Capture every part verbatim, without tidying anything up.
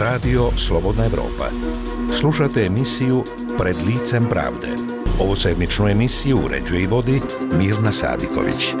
Radio Slobodna Evropa. Slušate emisiju Pred licem pravde. Ovu sedmičnu emisiju uređuje i vodi Mirna Sadiković.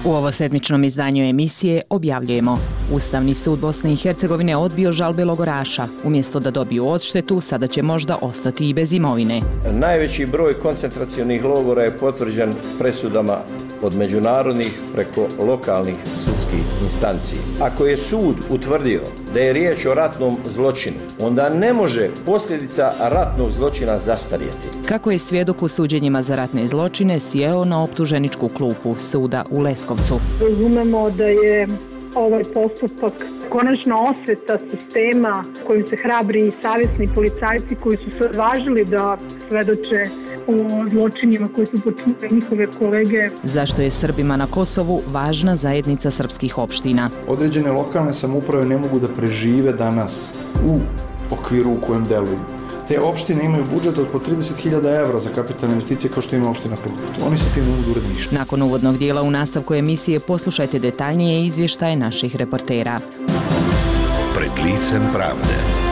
U ovosedmičnom izdanju emisije objavljujemo: Ustavni sud Bosne i Hercegovine odbio žalbe logoraša. Umjesto da dobiju odštetu, sada će možda ostati i bez imovine. Najveći broj koncentracionih logora je potvrđen presudama od međunarodnih preko lokalnih sudskih instanci. Ako je sud utvrdio da je riječ o ratnom zločinu, onda ne može posljedica ratnog zločina zastarjeti. Kako je svjedok u suđenjima za ratne zločine sjeo na optuženičku klupu suda u Leskovcu. Razumemo da je ovaj postupak konačno osveta sistema kojim se hrabri i savjesni policajci koji su se odvažili da svedoče o zločinima koji su počinili njihove kolege. Zašto je Srbima na Kosovu važna zajednica srpskih opština? Određene lokalne samouprave ne mogu da prežive danas u okviru u kojem deluju. Te opštine imaju budžet od po trideset hiljada evra za kapitalne investicije kao što ima opština Klokot. Oni se tim ne mogu uraditi ništa. Nakon uvodnog dijela u nastavku emisije poslušajte detaljnije izvještaje naših reportera. Pred licem pravde.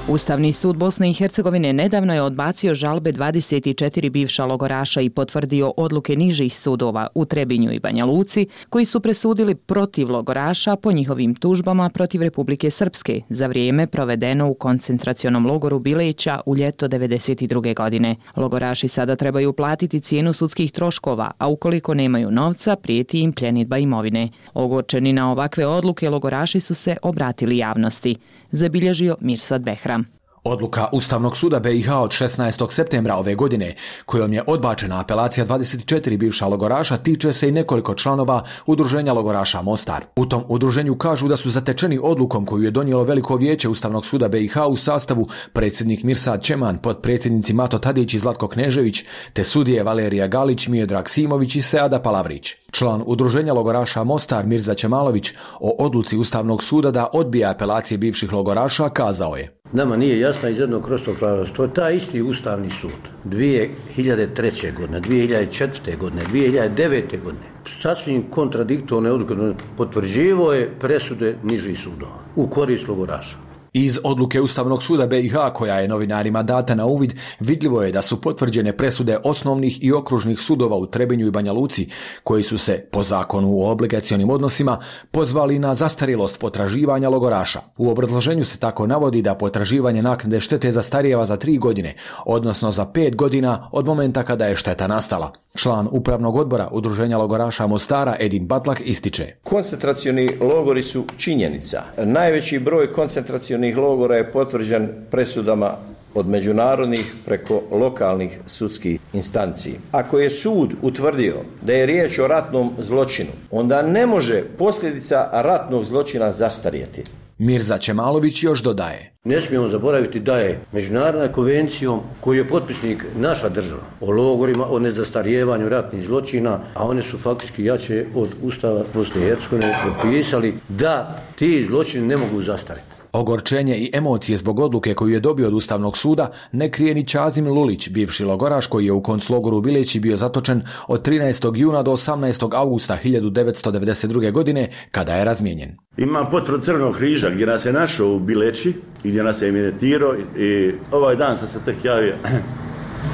Ustavni sud Bosne i Hercegovine nedavno je odbacio žalbe dvadeset četiri bivša logoraša i potvrdio odluke nižih sudova u Trebinju i Banja Luci, koji su presudili protiv logoraša po njihovim tužbama protiv Republike Srpske za vrijeme provedeno u koncentracionom logoru Bileća u ljeto devedeset druge. godine. Logoraši sada trebaju platiti cijenu sudskih troškova, a ukoliko nemaju novca, prijeti im pljenidba imovine. Ogorčeni na ovakve odluke, logoraši su se obratili javnosti, zabilježio Mirsad Behram. Odluka Ustavnog suda B i H od šesnaestog septembra ove godine, kojom je odbačena apelacija dvadeset četiri bivša logoraša, tiče se i nekoliko članova Udruženja logoraša Mostar. U tom udruženju kažu da su zatečeni odlukom koju je donijelo Veliko vijeće Ustavnog suda B i H u sastavu predsjednik Mirsad Čeman, potpredsjednici Mato Tadić i Zlatko Knežević, te sudije Valerija Galić, Miodrag Simović i Seada Palavrić. Član Udruženja logoraša Mostar Mirza Čemalović o odluci Ustavnog suda da odbija apelacije bivših logoraša kazao je: Nama nije jasna iz jednog prostog razloga. To je taj isti Ustavni sud dvije hiljade treće. godine, dvije hiljade četvrte. godine, dvije hiljade devete. godine sasvim kontradiktorne odluke potvrđivao je presude nižih sudova u korist logoraša. Iz odluke Ustavnog suda B i H, koja je novinarima data na uvid, vidljivo je da su potvrđene presude osnovnih i okružnih sudova u Trebinju i Banja Luci, koji su se, po zakonu o obligacionim odnosima, pozvali na zastarjelost potraživanja logoraša. U obrazloženju se tako navodi da potraživanje naknade štete zastarijeva za tri godine, odnosno za pet godina od momenta kada je šteta nastala. Član Upravnog odbora Udruženja logoraša Mostara Edin Batlak ističe: Koncentracioni logori su činjenica. Najveći broj koncentracionih logora je potvrđen presudama od međunarodnih preko lokalnih sudskih instanci. Ako je sud utvrdio da je riječ o ratnom zločinu, onda ne može posljedica ratnog zločina zastarjeti. Mirza Čemalović još dodaje: Ne smijemo zaboraviti da je Međunarodna konvencijom koju je potpisnik naša država o logorima, o nezastarijevanju ratnih zločina, a one su faktički jače od Ustava Bosne i Hercegovine, propisali da ti zločini ne mogu zastariti. Ogorčenje i emocije zbog odluke koju je dobio od Ustavnog suda ne krije ni Čazim Lulić, bivši logoraš koji je u konclogoru u Bileći bio zatočen od trinaestog juna do osamnaestog augusta hiljadu devetsto devedeset druge. godine, kada je razmijenjen. Imam potvrdu Crvenog križa gdje nas je našao u Bileći i gdje nas je evidentirao i ovaj dan sam se tek javio,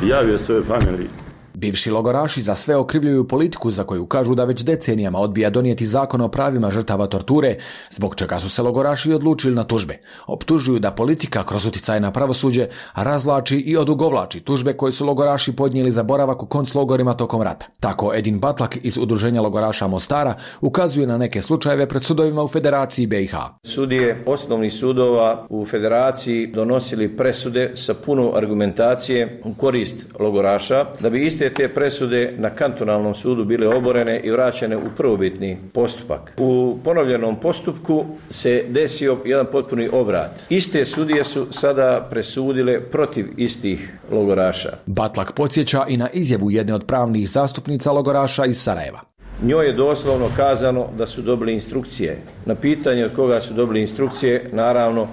javio svojoj familiji. Bivši logoraši za sve okrivljuju politiku za koju kažu da već decenijama odbija donijeti zakon o pravima žrtava torture, zbog čega su se logoraši odlučili na tužbe. Optužuju da politika kroz utjecaj na pravosuđe razvlači i odugovlači tužbe koje su logoraši podnijeli za boravak u konclogorima tokom rata. Tako Edin Batlak iz Udruženja logoraša Mostara ukazuje na neke slučajeve pred sudovima u Federaciji B i H. Sudije osnovnih sudova u Federaciji donosili presude sa puno argumentacije u korist logoraša, da bi iste te presude na kantonalnom sudu bile oborene i vraćene u prvobitni postupak. U ponovljenom postupku se desio jedan potpuni obrat. Iste sudije su sada presudile protiv istih logoraša. Batlak podsjeća i na izjavu jedne od pravnih zastupnica logoraša iz Sarajeva. Njoj je doslovno kazano da su dobili instrukcije. Na pitanje od koga su dobili instrukcije, naravno,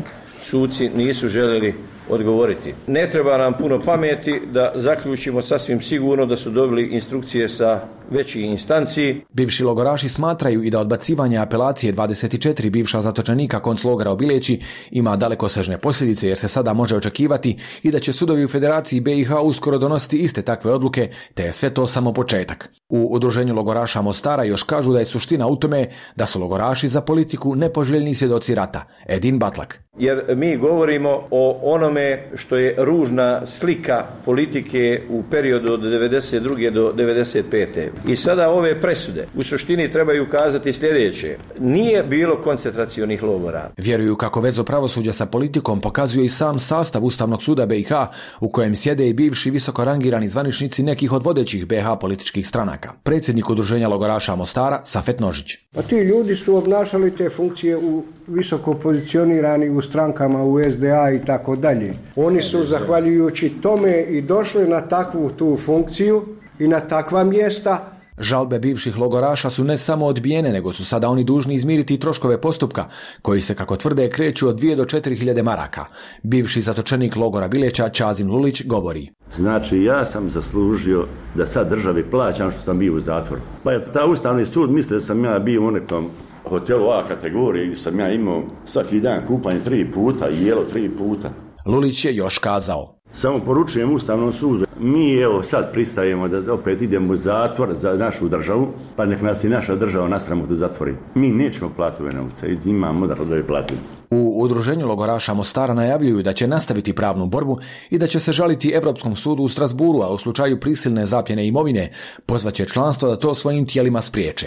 suci nisu željeli odgovoriti. Ne treba nam puno pameti da zaključimo sasvim sigurno da su dobili instrukcije sa većih instanci. Bivši logoraši smatraju i da odbacivanje apelacije dvadeset četiri bivša zatočenika konclogora u Bileći ima dalekosežne posljedice, jer se sada može očekivati i da će sudovi u Federaciji B i H uskoro donositi iste takve odluke, te je sve to samo početak. U udruženju logoraša Mostara još kažu da je suština u tome da su logoraši za politiku nepoželjni svjedoci rata. Edin Batlak. Jer mi govorimo o onome što je ružna slika politike u periodu od devedeset druge do devedeset pete. I sada ove presude u suštini trebaju kazati sljedeće. Nije bilo koncentracionih logora. Vjeruju kako vezu pravosuđa sa politikom pokazuje i sam sastav Ustavnog suda B i H, u kojem sjede i bivši visoko rangirani zvaničnici nekih od vodećih B i H političkih stranaka. Predsjednik udruženja logoraša Mostara, Safet Nožić. Pa ti ljudi su obnašali te funkcije u visoko pozicionirani u strankama, u S D A i tako dalje. Oni su zahvaljujući tome i došli na takvu tu funkciju i na takva mjesta. Žalbe bivših logoraša su ne samo odbijene, nego su sada oni dužni izmiriti troškove postupka, koji se, kako tvrde, kreću od dvije do četiri hiljade maraka. Bivši zatočenik logora Bileća, Čazim Lulić, govori. Znači, ja sam zaslužio da sad državi plaćam što sam bio u zatvoru. Pa je ta Ustavni sud misle da sam ja bio u nekom hotelu A kategorije, gdje sam ja imao svaki dan kupanje tri puta i jelo tri puta. Lulić je još kazao. Samo poručujem Ustavnom sudu, mi evo sad pristajemo da opet idemo u zatvor za našu državu, pa nek nas i naša država nasramo da zatvori. Mi nećemo platiti ove novce, imamo model da je platimo. U udruženju logoraša Mostara najavljuju da će nastaviti pravnu borbu i da će se žaliti Europskom sudu u Strasburu, a u slučaju prisilne zapljene imovine pozvaće članstvo da to svojim tijelima spriječe.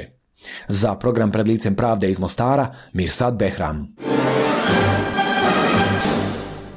Za program Pred licem pravde iz Mostara, Mirsad Behram.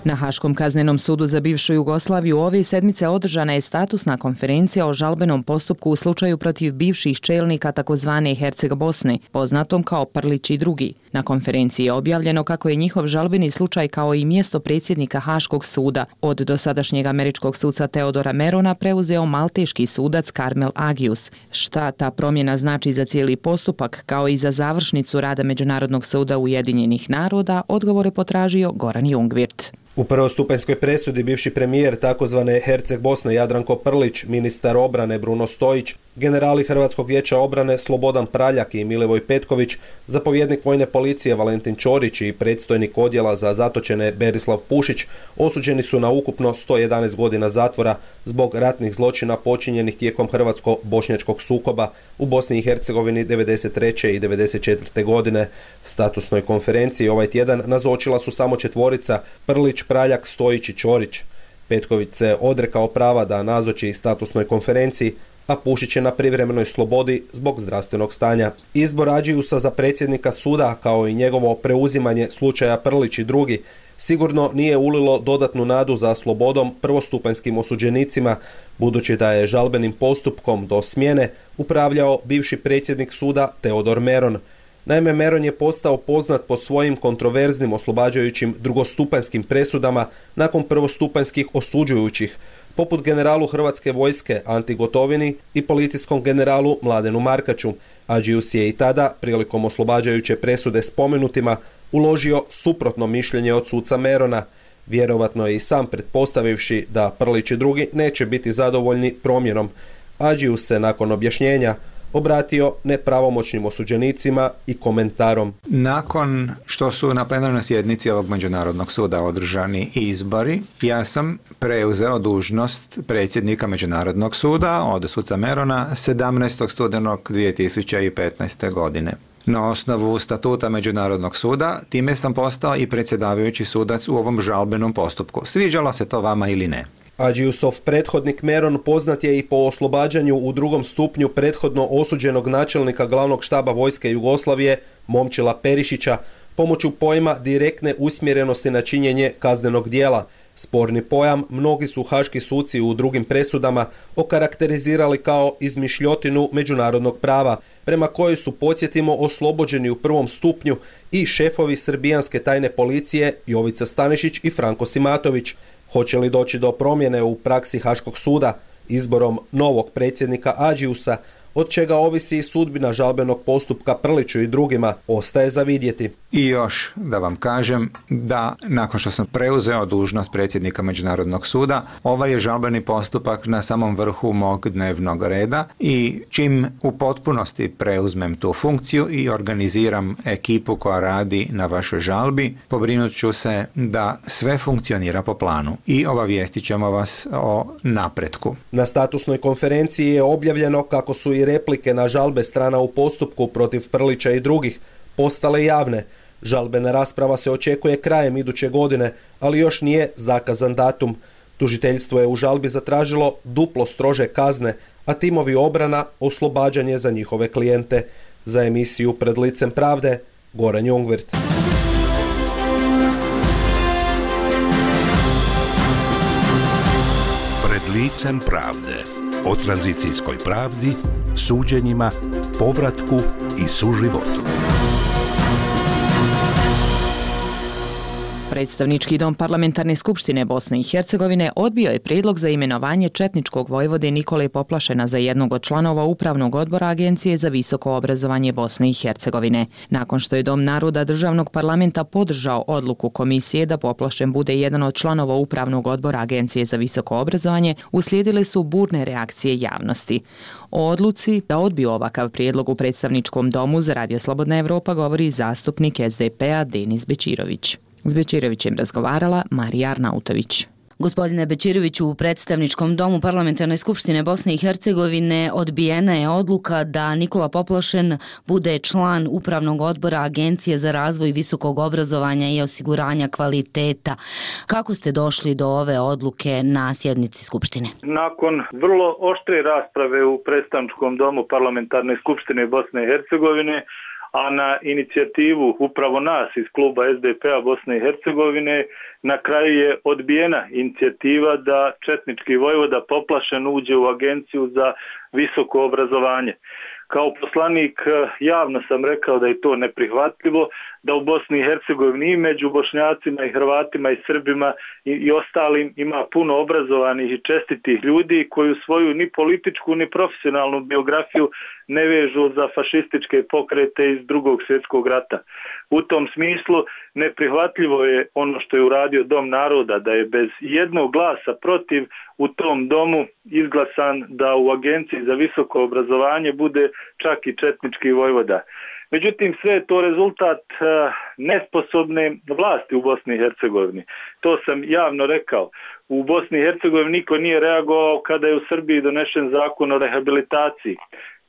Na Haškom kaznenom sudu za bivšu Jugoslaviju ove sedmice održana je statusna konferencija o žalbenom postupku u slučaju protiv bivših čelnika takozvane Herceg Bosne, poznatom kao Prlić i drugi. Na konferenciji je objavljeno kako je njihov žalbeni slučaj kao i mjesto predsjednika Haškog suda od dosadašnjeg američkog suca Teodora Merona preuzeo malteški sudac Karmel Agius. Šta ta promjena znači za cijeli postupak, kao i za završnicu rada Međunarodnog suda Ujedinjenih naroda, odgovore potražio Goran Jungvirt. U prvostupanjskoj presudi bivši premijer takozvane Herceg Bosne Jadranko Prlić, ministar obrane Bruno Stojić, generali Hrvatskog vijeća obrane Slobodan Praljak i Milivoj Petković, zapovjednik vojne policije Valentin Ćorić i predstojnik odjela za zatočene Berislav Pušić osuđeni su na ukupno sto jedanaest godina zatvora zbog ratnih zločina počinjenih tijekom hrvatsko-bošnjačkog sukoba u Bosni i Hercegovini devedeset treće i devedeset četvrte godine. Statusnoj konferenciji ovaj tjedan nazočila su samo četvorica Prlić, Praljak, Stojić i Ćorić. Petković se odrekao prava da nazoči statusnoj konferenciji, a Pušić je na privremenoj slobodi zbog zdravstvenog stanja. Izbor Ađiusa za predsjednika suda, kao i njegovo preuzimanje slučaja Prlić i drugi, sigurno nije ulilo dodatnu nadu za slobodom prvostupanjskim osuđenicima, budući da je žalbenim postupkom do smjene upravljao bivši predsjednik suda Teodor Meron. Naime, Meron je postao poznat po svojim kontroverznim oslobađajućim drugostupanjskim presudama nakon prvostupanjskih osuđujućih, poput generalu Hrvatske vojske Anti Gotovini i policijskom generalu Mladenu Markaču. Ađius je i tada, prilikom oslobađajuće presude spomenutima, uložio suprotno mišljenje od suca Merona, vjerovatno je i sam pretpostavivši da Prlić i drugi neće biti zadovoljni promjenom. Ađius se nakon objašnjenja obratio nepravomoćnim osuđenicima i komentarom. Nakon što su na plenarnoj sjednici ovog Međunarodnog suda održani izbori, ja sam preuzeo dužnost predsjednika Međunarodnog suda od suca Merona sedamnaestog studenog dvije tisuće petnaeste. godine. Na osnovu statuta Međunarodnog suda, time sam postao i predsjedavajući sudac u ovom žalbenom postupku. Sviđalo se to vama ili ne? Ađiusov prethodnik Meron poznat je i po oslobađanju u drugom stupnju prethodno osuđenog načelnika glavnog štaba vojske Jugoslavije Momčila Perišića pomoću pojma direktne usmjerenosti na činjenje kaznenog djela. Sporni pojam mnogi su haški suci u drugim presudama okarakterizirali kao izmišljotinu međunarodnog prava, prema kojoj su, podsjetimo, oslobođeni u prvom stupnju i šefovi srbijanske tajne policije Jovica Stanišić i Franko Simatović. Hoće li doći do promjene u praksi Haškog suda izborom novog predsjednika Ađiusa, od čega ovisi i sudbina žalbenog postupka Prliću i drugima, ostaje za vidjeti. I još da vam kažem da nakon što sam preuzeo dužnost predsjednika Međunarodnog suda, ovaj je žalbeni postupak na samom vrhu mog dnevnog reda i čim u potpunosti preuzmem tu funkciju i organiziram ekipu koja radi na vašoj žalbi, pobrinut ću se da sve funkcionira po planu i obavijestit ćemo vas o napretku. Na statusnoj konferenciji je objavljeno kako su i replike na žalbe strana u postupku protiv Prlića i drugih postale javne. Žalbena rasprava se očekuje krajem iduće godine, ali još nije zakazan datum. Tužiteljstvo je u žalbi zatražilo duplo strože kazne, a timovi obrana oslobađanje za njihove klijente. Za emisiju Pred licem pravde, Goran Jungwirth. Pred licem pravde. O tranzicijskoj pravdi, suđenjima, povratku i suživotu. Predstavnički dom Parlamentarne skupštine Bosne i Hercegovine odbio je prijedlog za imenovanje četničkog vojvode Nikole Poplašena za jednog od članova Upravnog odbora Agencije za visoko obrazovanje Bosne i Hercegovine. Nakon što je Dom naroda državnog parlamenta podržao odluku komisije da Poplašen bude jedan od članova Upravnog odbora Agencije za visoko obrazovanje, uslijedile su burne reakcije javnosti. O odluci da odbiju ovakav prijedlog u predstavničkom domu za Radio Slobodna Evropa govori zastupnik es de pe a Denis Bećirović. S Bećirovićem razgovarala Marija Arnautović. Gospodine Bećiroviću, u predstavničkom domu Parlamentarne skupštine Bosne i Hercegovine odbijena je odluka da Nikola Poplašen bude član Upravnog odbora Agencije za razvoj visokog obrazovanja i osiguranja kvaliteta. Kako ste došli do ove odluke na sjednici skupštine? Nakon vrlo oštre rasprave u predstavničkom domu Parlamentarne skupštine Bosne i Hercegovine, a na inicijativu upravo nas iz kluba es de pe a Bosne i Hercegovine, na kraju je odbijena inicijativa da četnički vojvoda Poplašen uđe u Agenciju za visoko obrazovanje. Kao poslanik javno sam rekao da je to neprihvatljivo, da u Bosni i Hercegovini i među Bošnjacima i Hrvatima i Srbima i, i ostalim ima puno obrazovanih i čestitih ljudi koji svoju ni političku ni profesionalnu biografiju ne vežu za fašističke pokrete iz Drugog svjetskog rata. U tom smislu neprihvatljivo je ono što je uradio Dom naroda, da je bez jednog glasa protiv u tom domu izglasan da u Agenciji za visoko obrazovanje bude čak i četnički vojvoda. Međutim, sve je to rezultat nesposobne vlasti u Bosni i Hercegovini. To sam javno rekao. U Bosni i Hercegovini niko nije reagovao kada je u Srbiji donešen zakon o rehabilitaciji,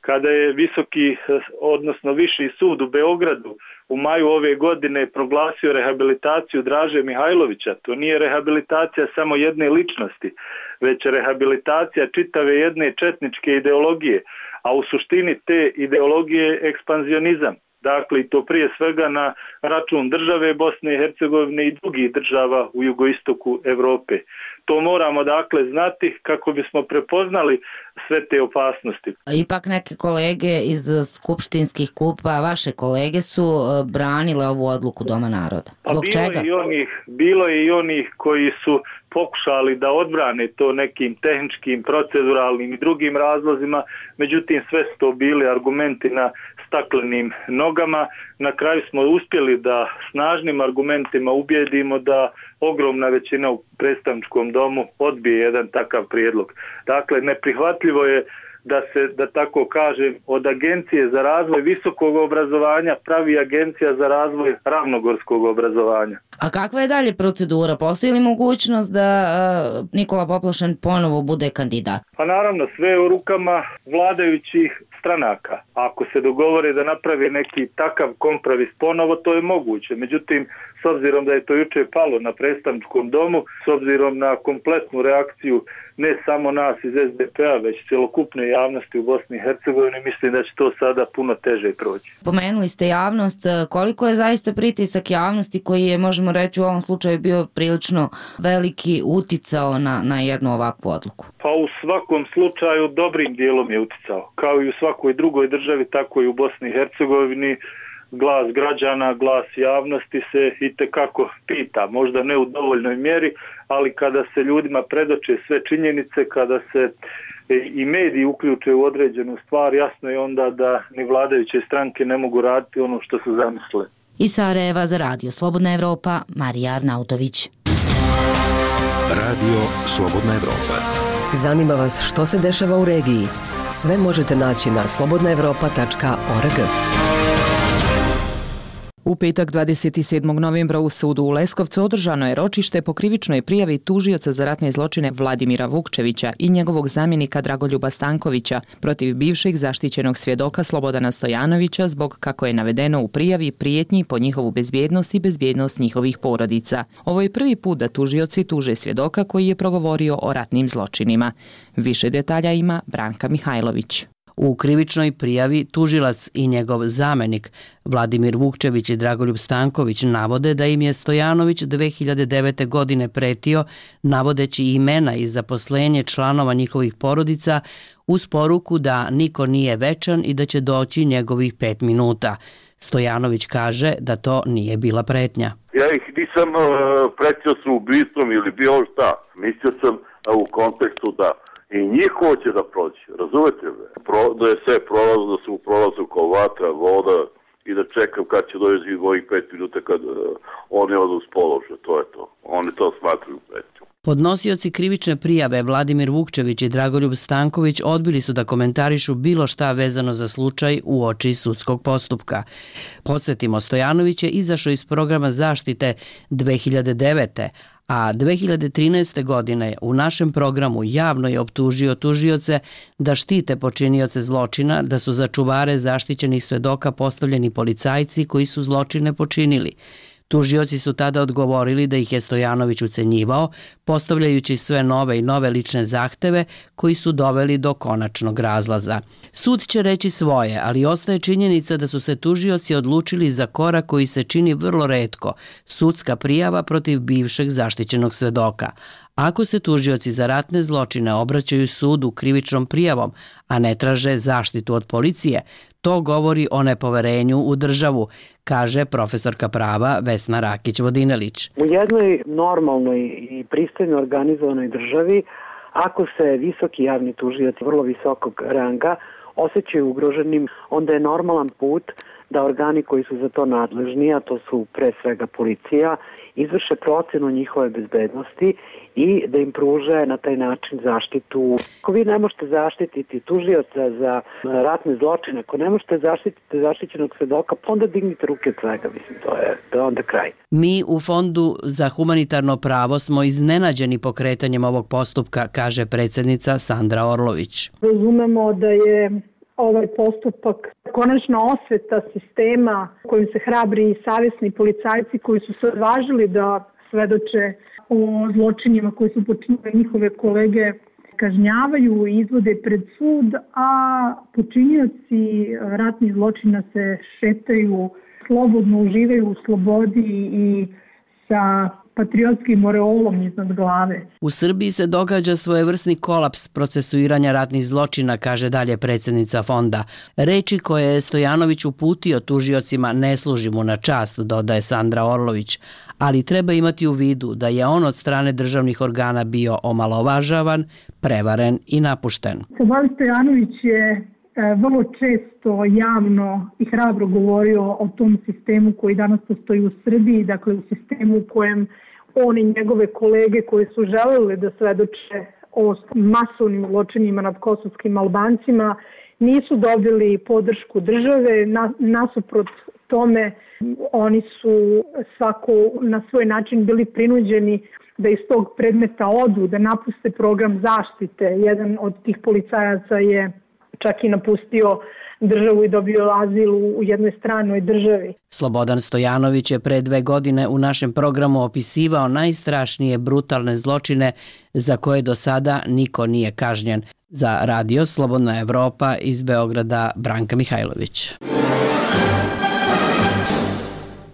kada je visoki, odnosno viši sud u Beogradu u maju ove godine proglasio rehabilitaciju Draže Mihajlovića. To nije rehabilitacija samo jedne ličnosti, već rehabilitacija čitave jedne četničke ideologije, a u suštini te ideologije je ekspanzionizam. Dakle, i to prije svega na račun države Bosne i Hercegovine i drugih država u jugoistoku Evrope. To moramo dakle znati kako bismo prepoznali sve te opasnosti. Ipak neke kolege iz skupštinskih klupa, vaše kolege su branile ovu odluku Doma naroda. Zbog bilo čega? Je i onih, bilo je i onih koji su pokušali da odbrane to nekim tehničkim, proceduralnim i drugim razlozima, međutim sve su to bili argumenti na staklenim nogama. Na kraju smo uspjeli da snažnim argumentima ubijedimo da ogromna većina u predstavničkom domu odbije jedan takav prijedlog. Dakle, neprihvatljivo je da se, da tako kažem, od Agencije za razvoj visokog obrazovanja pravi Agencija za razvoj ravnogorskog obrazovanja. A kakva je dalje procedura? Postoji li mogućnost da uh, Nikola Poplašen ponovo bude kandidat? Pa naravno, sve je u rukama vladajućih stranaka. Ako se dogovore da napravi neki takav kompromis ponovo, to je moguće. Međutim, s obzirom da je to juče palo na predstavničkom domu, s obzirom na kompletnu reakciju ne samo nas iz es de pe a, već cjelokupne javnosti u Bosni i Hercegovini, mislim da će to sada puno teže proći. Pomenuli ste javnost. Koliko je zaista pritisak javnosti koji je, možemo reći, u ovom slučaju bio prilično veliki uticao na, na jednu ovakvu odluku? Pa u svakom slučaju dobrim dijelom je uticao. Kao i u svakoj drugoj državi, tako i u Bosni i Hercegovini. Glas građana, glas javnosti se itekako pita, možda ne u dovoljnoj mjeri, ali kada se ljudima predoče sve činjenice, kada se i mediji uključe u određenu stvar, jasno je onda da ni vladajuće stranke ne mogu raditi ono što su zamislile. Iz Sarajeva za Radio Slobodna Evropa, Marija Arnautović. Radio Slobodna Evropa. Zanima vas što se dešava u regiji? Sve možete naći na slobodna evropa tačka org. U petak dvadeset sedmog novembra u sudu u Leskovcu održano je ročište po krivičnoj prijavi tužioca za ratne zločine Vladimira Vukčevića i njegovog zamjenika Dragoljuba Stankovića protiv bivšeg zaštićenog svjedoka Slobodana Stojanovića zbog, kako je navedeno u prijavi, prijetnji po njihovu bezbjednost i bezbjednost njihovih porodica. Ovo je prvi put da tužioci tuže svjedoka koji je progovorio o ratnim zločinima. Više detalja ima Branka Mihajlović. U krivičnoj prijavi tužilac i njegov zamenik Vladimir Vukčević i Dragoljub Stanković navode da im je Stojanović dve hiljade devete. godine pretio navodeći imena i zaposlenje članova njihovih porodica uz poruku da niko nije večan i da će doći njegovih pet minuta. Stojanović kaže da to nije bila pretnja. Ja ih nisam uh, pretio sa ubistvom ili bilo šta. Mislio sam uh, u kontekstu da i njih hoće da proći, razumete me? Pro, da je sve prolazno, da su u prolazu kao vatra, voda i da čekam kad će doći ovih pet minuta kad uh, oni odu s položaja, to je to. Oni to smatruju pretnjom. Podnosioci krivične prijave Vladimir Vukčević i Dragoljub Stanković odbili su da komentarišu bilo šta vezano za slučaj u oči sudskog postupka. Podsjetimo, Stojanović je izašao iz programa zaštite dve hiljade devete. a dve hiljade trinaeste. godine u našem programu javno je optužio tužioce da štite počinioce zločina, da su za čuvare zaštićenih svedoka postavljeni policajci koji su zločine počinili. Tužioci su tada odgovorili da ih je Stojanović ucenjivao, postavljajući sve nove i nove lične zahteve koji su doveli do konačnog razlaza. Sud će reći svoje, ali ostaje činjenica da su se tužioci odlučili za korak koji se čini vrlo retko, sudska prijava protiv bivšeg zaštićenog svedoka. Ako se tužioci za ratne zločine obraćaju sudu krivičnom prijavom, a ne traže zaštitu od policije, to govori o nepoverenju u državu, kaže profesorka prava Vesna Rakić-Vodinelić. U jednoj normalnoj i pristojno organizovanoj državi, ako se visoki javni tužioci vrlo visokog ranga osjećaju ugroženim, onda je normalan put da organi koji su za to nadležni, a to su pre svega policija, izvrše procenu njihove bezbednosti i da im pruže na taj način zaštitu. Ako vi ne možete zaštititi tužioca za ratne zločine, ako ne možete zaštititi zaštićenog svedoka, pa onda dignite ruke od svega, mislim, to je, to je onda kraj. Mi u Fondu za humanitarno pravo smo iznenađeni pokretanjem ovog postupka, kaže predsjednica Sandra Orlović. Razumemo da je ovaj postupak konačna osveta sistema kojim se hrabri i savjesni policajci koji su se odvažili da svedoče o zločinima koji su počinili njihove kolege kažnjavaju i izvode pred sud, a počinioci ratnih zločina se šetaju, slobodno uživaju u slobodi i sa patriotskim oreolom iznad glave. U Srbiji se događa svojevrsni kolaps procesuiranja ratnih zločina, kaže dalje predsjednica fonda. Reči koje je Stojanović uputio tužiocima ne služi mu na čast, dodaje Sandra Orlović, ali treba imati u vidu da je on od strane državnih organa bio omalovažavan, prevaren i napušten. Slobodan Stojanović je vrlo često javno i hrabro govorio o tom sistemu koji danas postoji u Srbiji, dakle u sistemu u kojem on i njegove kolege koji su želeli da svedoče o masovnim zločinima nad kosovskim Albancima nisu dobili podršku države, nasuprot tome oni su svako na svoj način bili prinuđeni da iz tog predmeta odu, da napuste program zaštite. Jedan od tih policajaca je čak i napustio državu i dobio azil u jednoj stranoj državi. Slobodan Stojanović je pre dve godine u našem programu opisivao najstrašnije brutalne zločine za koje do sada niko nije kažnjen. Za Radio Slobodna Evropa iz Beograda, Branka Mihajlović.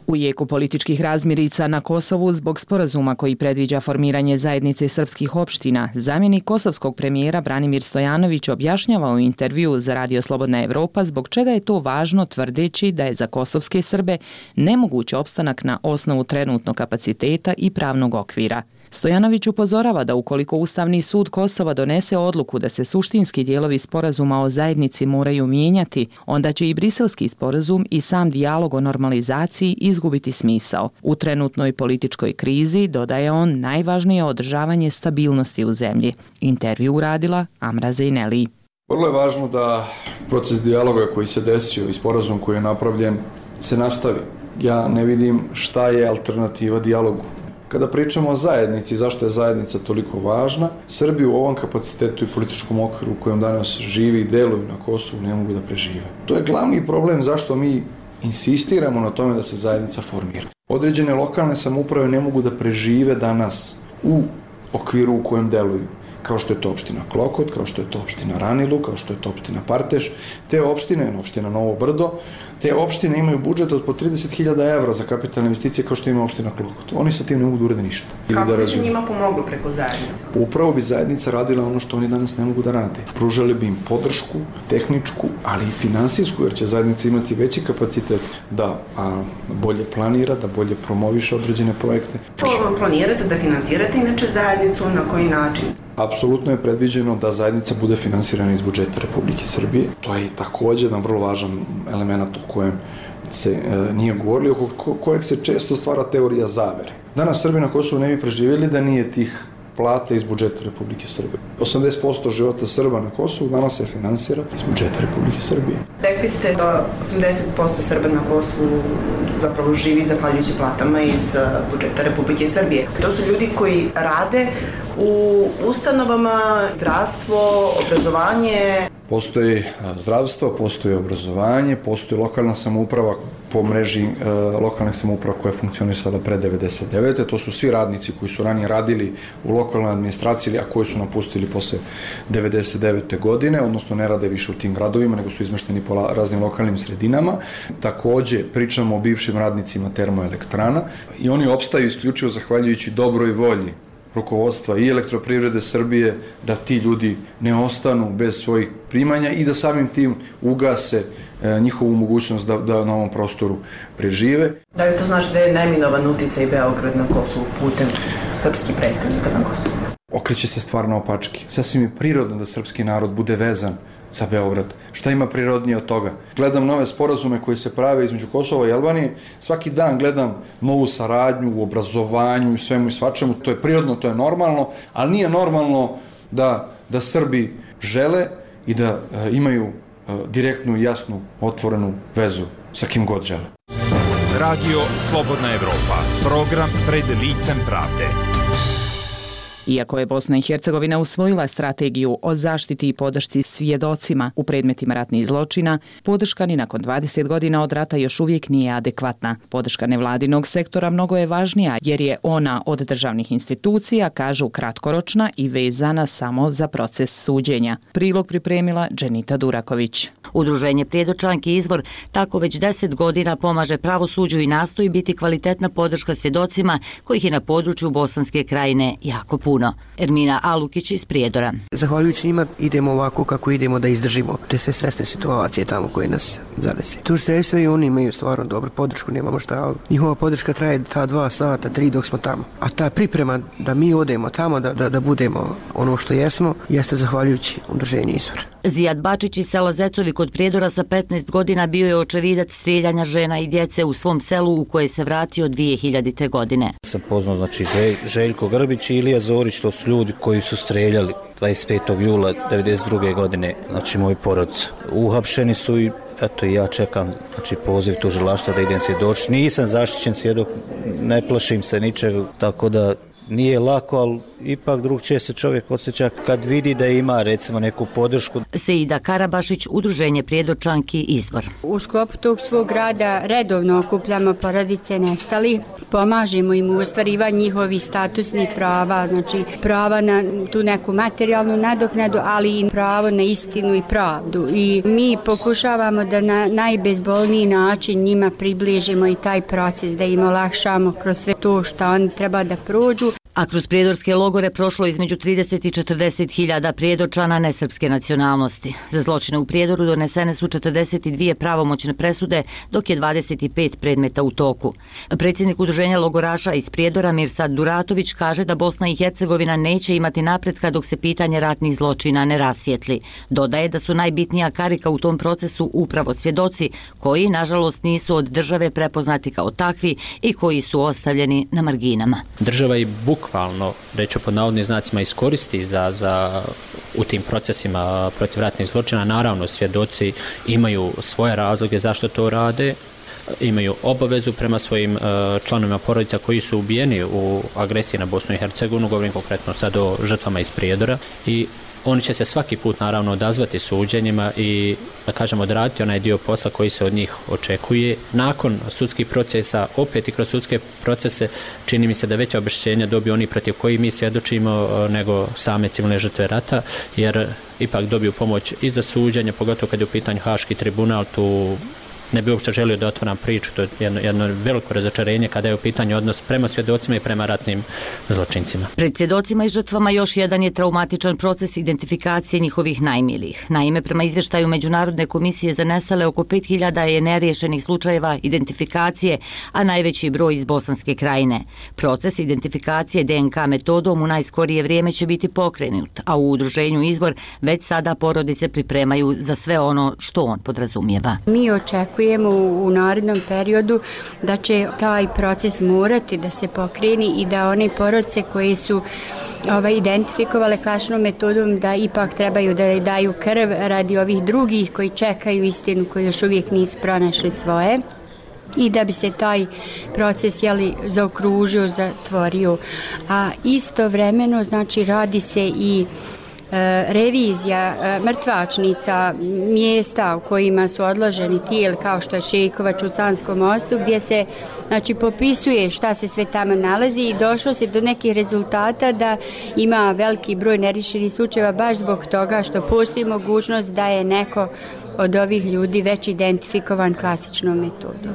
U jeku političkih razmirica na Kosovu zbog sporazuma koji predviđa formiranje zajednice srpskih opština, zamjenik kosovskog premijera Branimir Stojanović objašnjava u intervju za Radio Slobodna Evropa zbog čega je to važno, tvrdeći da je za kosovske Srbe nemoguć opstanak na osnovu trenutnog kapaciteta i pravnog okvira. Stojanović upozorava da ukoliko Ustavni sud Kosova donese odluku da se suštinski dijelovi sporazuma o zajednici moraju mijenjati, onda će i briselski sporazum i sam dijalog o normalizaciji izgubiti smisao. U trenutnoj političkoj krizi, dodaje on, najvažnije je održavanje stabilnosti u zemlji. Intervju uradila Amra Zejneli. Vrlo je važno da proces dijaloga koji se desio i sporazum koji je napravljen se nastavi. Ja ne vidim šta je alternativa dijalogu. Kada pričamo o zajednici, zašto je zajednica toliko važna, Srbi u ovom kapacitetu i političkom okviru u kojem danas živi i deluju na Kosovu ne mogu da prežive. To je glavni problem zašto mi insistiramo na tome da se zajednica formira. Određene lokalne samouprave ne mogu da prežive danas u okviru u kojem deluju, kao što je to opština Klokot, kao što je to opština Ranilu, kao što je to opština Parteš. Te opštine, opština Novo Brdo, te opštine imaju budžet od po trideset hiljada evra za kapitalne investicije kao što ima opština Klokot. Oni sa tim ne mogu da urede ništa. Kako da bi se njima pomoglo preko zajednice? Upravo bi zajednica radila ono što oni danas ne mogu da rade. Pružali bi im podršku, tehničku, ali i finansijsku, jer će zajednica imati veći kapacitet da a, bolje planira, da bolje promoviše određene projekte. To planirate da finansirate inače zajednicu, na koji način? Apsolutno je predviđeno da zajednica bude finansirana iz budžeta Republike Srbije. To je također jedan vrlo važan element o kojem se e, nije govorili, oko ko, kojeg se često stvara teorija zavere. Danas Srbi na Kosovu ne bi preživjeli da nije tih plate iz budžeta Republike Srbije. osamdeset posto života Srba na Kosovu danas se finansira iz budžeta Republike Srbije. Rekli ste da osamdeset posto Srba na Kosovu zapravo živi zahvaljujući platama iz budžeta Republike Srbije. To su ljudi koji rade u ustanovama, zdravstvo, obrazovanje. Postoji zdravstvo, postoji obrazovanje, postoji lokalna samouprava po mreži e, lokalnih samouprava koja je funkcionisala pre devedeset devete. To su svi radnici koji su ranije radili u lokalnoj administraciji, a koji su napustili posle devedeset devete godine, odnosno ne rade više u tim gradovima, nego su izmešteni po raznim lokalnim sredinama. Takođe, pričamo o bivšim radnicima termoelektrana i oni opstaju isključivo zahvaljujući dobroj volji rukovodstva i Elektroprivrede Srbije da ti ljudi ne ostanu bez svojih primanja i da samim tim ugase e, njihovu mogućnost da, da na ovom prostoru prežive. Da li to znači da je neminovan uticaj Beograd na Kosovu putem srpskih predstavnika na Kosovu? Okreće se stvar naopačke. Sasvim je prirodno da srpski narod bude vezan za Beograd. Šta ima prirodnije od toga? Gledam nove sporazume koji se prave između Kosova i Albanije. Svaki dan gledam novu saradnju u obrazovanju i svemu i svačemu. To je prirodno, to je normalno, ali nije normalno da, da Srbi žele i da e, imaju e, direktnu i jasnu otvorenu vezu sa kim god žele. Radio Slobodna Evropa. Program pred licem pravde. Iako je Bosna i Hercegovina usvojila strategiju o zaštiti i podršci svjedocima u predmetima ratnih zločina, podrška ni nakon dvadeset godina od rata još uvijek nije adekvatna. Podrška nevladinog sektora mnogo je važnija jer je ona od državnih institucija, kažu, kratkoročna i vezana samo za proces suđenja. Prilog pripremila Dženita Duraković. Udruženje Prijedočanki Izvor tako već deset godina pomaže pravosuđu i nastoji biti kvalitetna podrška svjedocima kojih je na području Bosanske krajine jako puno. Ermina Alukić iz Prijedora. Zahvaljujući njima idemo ovako kako idemo da izdržimo te sve stresne situacije tamo koje nas zadese. Tužiteljstvo i oni imaju stvarno dobru podršku, nemamo šta, ali njihova podrška traje ta dva sata, tri dok smo tamo. A ta priprema da mi odemo tamo, da, da, da budemo ono što jesmo, jeste zahvaljujući udruženju Izvor. Zijad Bačić iz sela Zecovi kod Prijedora sa petnaest godina bio je očevidac strijeljanja žena i djece u svom selu u koje se vratio dvije hiljadite. godine. Sam poznao znači Želj, Željko Grbić i Ilija Zorić, to su ljudi koji su streljali dvadeset petog jula devedeset druge. godine, znači moj porod. Uhapšeni su i eto ja čekam znači poziv tužilaštva da idem svjedočiti. Nisam zaštićen svjedok, ne plašim se ničeg, tako da nije lako, ali ipak drugčije se čovjek osjeća kad vidi da ima recimo neku podršku. Seida Karabašić, Udruženje Prijedočanki Izvor. U sklopu tog svog rada redovno okupljamo porodice nestalih, pomažemo im u ostvarivanju njihovih statusnih prava, znači prava na tu neku materijalnu nadoknadu, ali i pravo na istinu i pravdu. I mi pokušavamo da na najbezbolniji način njima približimo i taj proces, da im olakšamo kroz sve to što oni treba da prođu. A kroz prijedorske logore prošlo između trideset i četrdeset hiljada prijedorčana nesrpske nacionalnosti. Za zločine u Prijedoru donesene su četrdeset dvije pravomoćne presude, dok je dvadeset pet predmeta u toku. Predsjednik udruženja logoraša iz Prijedora Mirsad Duratović kaže da Bosna i Hercegovina neće imati napretka dok se pitanje ratnih zločina ne rasvijetli. Dodaje da su najbitnija karika u tom procesu upravo svjedoci koji, nažalost, nisu od države prepoznati kao takvi i koji su ostavljeni na marginama. Država i bukvalno, reću pod navodnim znacima, iskoristi za, za, u tim procesima protiv ratnih zločina. Naravno, svjedoci imaju svoje razloge zašto to rade, imaju obavezu prema svojim uh, članovima porodica koji su ubijeni u agresiji na Bosnu i Hercegovinu, govorim konkretno sad o žrtvama iz Prijedora, i oni će se svaki put naravno odazvati suđenjima i, da kažemo, odraditi onaj dio posla koji se od njih očekuje. Nakon sudskih procesa, opet i kroz sudske procese, čini mi se da veća obeštećenja dobiju oni protiv koji mi svjedočimo nego same civilne žrtve rata, jer ipak dobiju pomoć i za suđenje, pogotovo kad je u pitanju Haški tribunal. Tu ne bi uopšte želio da otvoram priču, to je jedno, jedno veliko razočarenje kada je u pitanju odnos prema svjedocima i prema ratnim zločincima. Pred svjedocima i žrtvama još jedan je traumatičan proces identifikacije njihovih najmilijih. Naime, prema izvještaju Međunarodne komisije za nestale, oko pet hiljada je neriješenih slučajeva identifikacije, a najveći broj iz Bosanske krajine. Proces identifikacije D N K metodom u najskorije vrijeme će biti pokrenut, a u udruženju Izvor već sada porodice pripremaju za sve ono što on podrazumijeva. Mi očekujemo u narednom periodu da će taj proces morati da se pokreni i da one porodice koje su ovaj, identifikovale klasičnom metodom da ipak trebaju da daju krv radi ovih drugih koji čekaju istinu, koji još uvijek nisu pronašli svoje, i da bi se taj proces jeli, zaokružio, zatvorio. A istovremeno, znači, radi se i revizija mrtvačnica mjesta u kojima su odloženi tijeli, kao što je Šejkovač u Sanskom mostu, gdje se, znači, popisuje šta se sve tamo nalazi, i došlo se do nekih rezultata da ima veliki broj neriješenih slučajeva baš zbog toga što postoji mogućnost da je neko od ovih ljudi već identifikovan klasičnom metodom.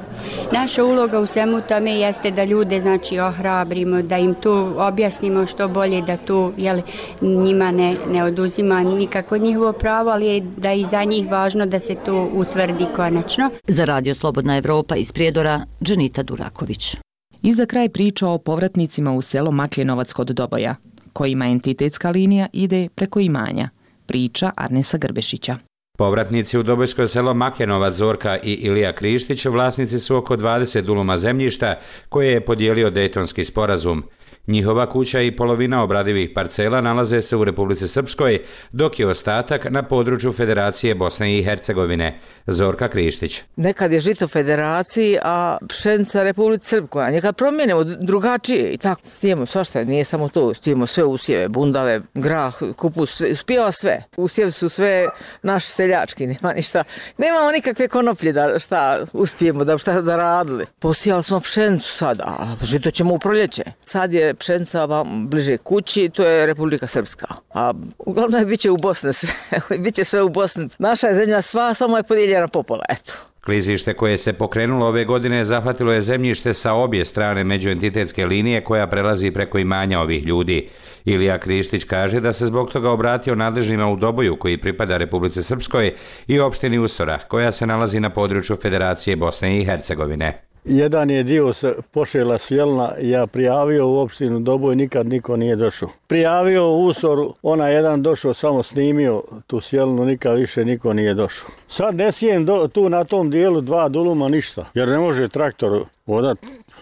Naša uloga u svemu tome jeste da ljude, znači, ohrabrimo, da im tu objasnimo što bolje, da tu, jel, njima ne, ne oduzima nikako njihovo pravo, ali je da je i za njih važno da se to utvrdi konačno. Za Radio Slobodna Evropa iz Prijedora, Dženita Duraković. I za kraj priča o povratnicima u selo Makljenovac kod Doboja, kojima entitetska linija ide preko imanja. Priča Arnesa Grbešića. Povratnici u Dobojsko selo Makljenovac, Zorka i Ilija Krištić vlasnici su oko dvadeset duluma zemljišta koje je podijelio Dejtonski sporazum. Njihova kuća i polovina obradivih parcela nalaze se u Republici Srpskoj, dok je ostatak na području Federacije Bosne i Hercegovine. Zorka Krištić. Nekad je žito Federaciji, a pšenica Republici Srpskoj. Nekad promijenimo drugačije i tako. Stijemo svašta, nije samo to. Stijemo sve usjeve, bundave, grah, kupus, uspijeva sve. Usjevi su sve naši seljački, nema ništa. Nemamo nikakve konoplje da šta uspijemo, da šta da radili. Posijali smo pšenicu sada, a žito ćemo u proljeće. Sad je pšenica vam bliže kući, to je Republika Srpska. A uglavnom je biće u Bosni sve. Biće sve u Bosni. Naša je zemlja sva, samo je podijeljena popola, eto. Klizište koje se pokrenulo ove godine zahvatilo je zemljište sa obje strane međuentitetske linije koja prelazi preko imanja ovih ljudi. Ilija Krištić kaže da se zbog toga obratio nadležnima u Doboju koji pripada Republici Srpskoj i opštini Usora koja se nalazi na području Federacije Bosne i Hercegovine. Jedan je dio se pošela sjelna, ja prijavio u opštinu Doboj, nikad niko nije došao. Prijavio u Usoru, ona jedan došao, samo snimio tu sjelnu, nikad više niko nije došao. Sad ne sijem do, tu na tom dijelu dva duluma ništa, jer ne može traktor vodat.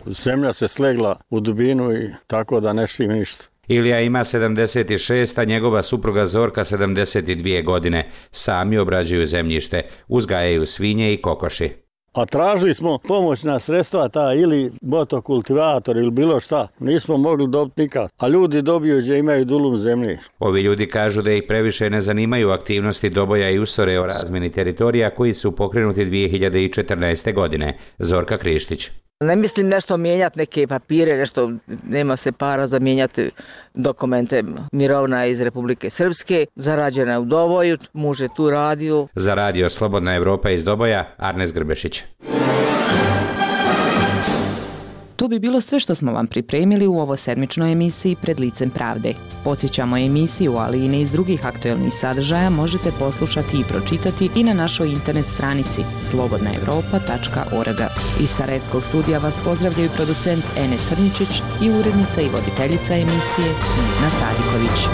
Zemlja se slegla u dubinu i tako da ne šim ništa. Ilija ima sedamdeset šest, a njegova supruga Zorka sedamdeset dvije godine. Sami obrađuju zemljište, uzgajaju svinje i kokoši. A tražili smo pomoćna sredstva, ta ili motokultivator ili bilo šta. Nismo mogli dobiti nikad. A ljudi dobiju gdje imaju dulum zemlje. Ovi ljudi kažu da ih previše ne zanimaju aktivnosti Doboja i Usore o razmjeni teritorija koji su pokrenuti dvije hiljade četrnaeste. godine. Zorka Krištić. Ne mislim nešto mijenjati neke papire, nešto, nema se para za mijenjati dokumente. Mirovna iz Republike Srpske, zarađena u Doboju, muž je tu radio. Za Radio Slobodna Evropa iz Doboja, Arnes Grbešić. To bi bilo sve što smo vam pripremili u ovo sedmičnoj emisiji Pred licem pravde. Podsjećamo emisiju, ali i niz drugih aktuelnih sadržaja možete poslušati i pročitati i na našoj internet stranici slobodna evropa tačka org. Iz Sarajevskog studija vas pozdravljaju producent Enes Srničić i urednica i voditeljica emisije Nina Sadiković.